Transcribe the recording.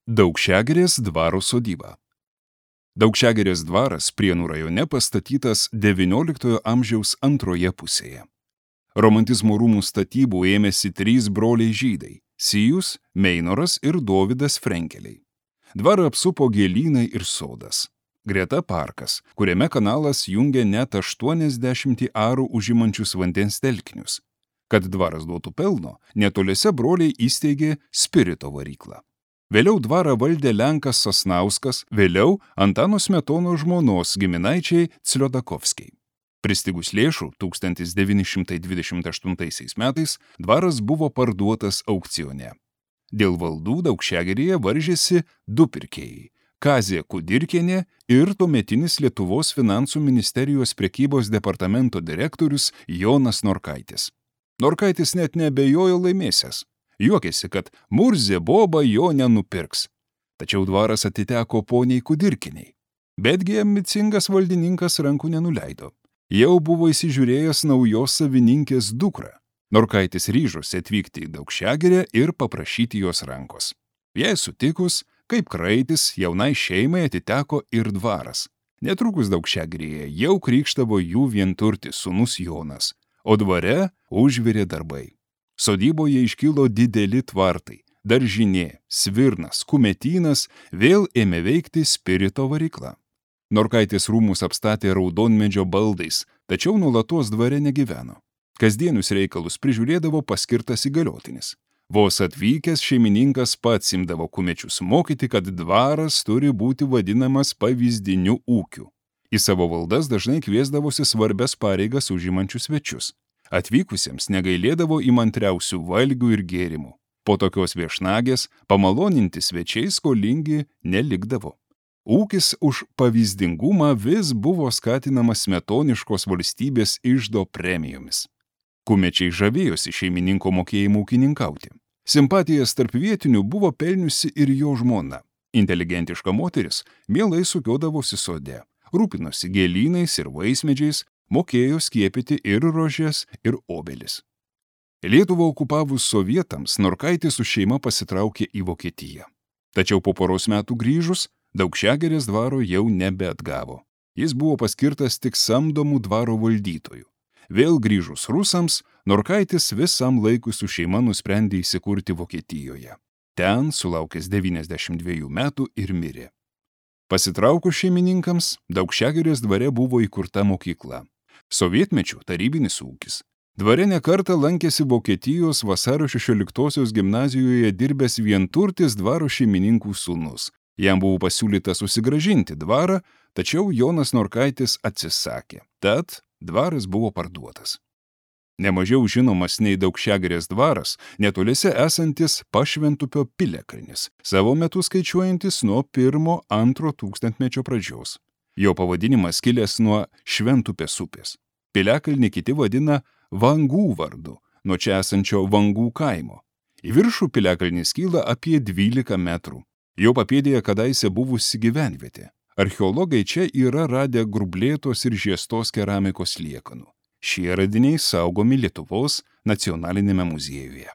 Daukšiagirės dvaro sodyba. Daukšiagirės dvaras Prienų rajone pastatytas XIX amžiaus antroje pusėje. Romantizmo rūmų statybų ėmėsi 3 broliai žydai – Sijus, Meinoras ir Dovydas Frenkeliai. Dvarą apsupo gėlynai ir sodas. Greta parkas, kuriame kanalas jungia net 80 arų užimančius vandens telkinius. Kad dvaras duotų pelno, netoliese broliai įsteigė spirito varyklą. Vėliau dvarą valdė Lenkas Sasnauskas, vėliau Antano Smetonos žmonos giminaičiai Cliodakovskiai. Pristigus lėšų 1928 metais dvaras buvo parduotas aukcione. Dėl valdų Daukšiagirėje varžėsi 2 pirkėjai – Kazė Kudirkienė ir tuometinis Lietuvos finansų ministerijos prekybos departamento direktorius Jonas Norkaitis. Norkaitis net neabejojo laimėsiąs. Juokėsi, kad Murzė boba jo nenupirks. Tačiau dvaras atiteko poniai Kudirkiniai. Betgi ambicingas valdininkas rankų nenuleido. Jau buvo įsižiūrėjęs naujos savininkės dukrą. Norkaitis ryžosi atvykti į Daukšiagirę ir paprašyti jos rankos. Jei sutikus, kaip kraitis, jaunai šeimai atiteko ir dvaras. Netrukus Daukšiagirėje jau krykštavo jų vienturtis sūnus Jonas, o dvare užvirė darbai. Sodyboje iškilo dideli tvartai, daržinė, svirnas, kumetynas, vėl ėmė veikti spirito varykla. Norkaitis rūmus apstatė raudonmedžio baldais, tačiau nuolatos dvare negyveno. Kasdienius reikalus prižiūrėdavo paskirtas įgaliotinis. Vos atvykęs šeimininkas pats imdavo kumečius mokyti, kad dvaras turi būti vadinamas pavyzdiniu ūkiu. Į savo valdas dažnai kviesdavosi svarbias pareigas užimančius svečius. Atvykusiems negailėdavo įmantriausių valgių ir gėrimų. Po tokios viešnagės pamaloninti svečiai skolingi nelikdavo. Ūkis už pavyzdingumą vis buvo skatinamas smetoniškos valstybės iždo premijomis. Kumečiai žavėjosi šeimininko mokėjimu ūkininkauti. Simpatijas tarp vietinių buvo pelniusi ir jo žmona. Inteligentiška moteris mielai sukiodavosi sode, rūpinosi gėlynais ir vaismedžiais, mokėjo skiepyti ir rožes, ir obelis. Lietuvą okupavus sovietams, Norkaitis su šeima pasitraukė į Vokietiją. Tačiau po poros metų grįžus, Daukšiagirės dvaro jau nebeatgavo. Jis buvo paskirtas tik samdomų dvaro valdytojų. Vėl grįžus rusams, Norkaitis visam laikui su šeima nusprendė įsikurti Vokietijoje. Ten, sulaukęs 92 metų, ir mirė. Pasitraukus šeimininkams, Daukšiagirės dvare buvo įkurta mokykla. Sovietmečių tarybinis ūkis. Dvare nekartą lankėsi Vokietijos Vasario 16-osios gimnazijoje dirbęs vienturtis dvaro šeimininkų sūnus. Jam buvo pasiūlyta susigrąžinti dvarą, tačiau Jonas Norkaitis atsisakė. Tad dvaras buvo parduotas. Nemažiau žinomas nei Daukšiagirės dvaras, netoliese esantis Pašventupio piliakalnis, savo metu skaičiuojantis nuo 1-2 tūkstantmečio pradžios. Jo pavadinimas kilęs nuo Šventupės upės. Piliakalnį kiti vadina Vangų vardu, nuo čia esančio Vangų kaimo. Į viršų piliakalnis kyla apie 12 metrų. Jo papėdėje kadaise buvusi gyvenvietė. Archeologai čia yra radę grublėtos ir žiestos keramikos liekanų. Šie radiniai saugomi Lietuvos nacionalinėme muziejuje.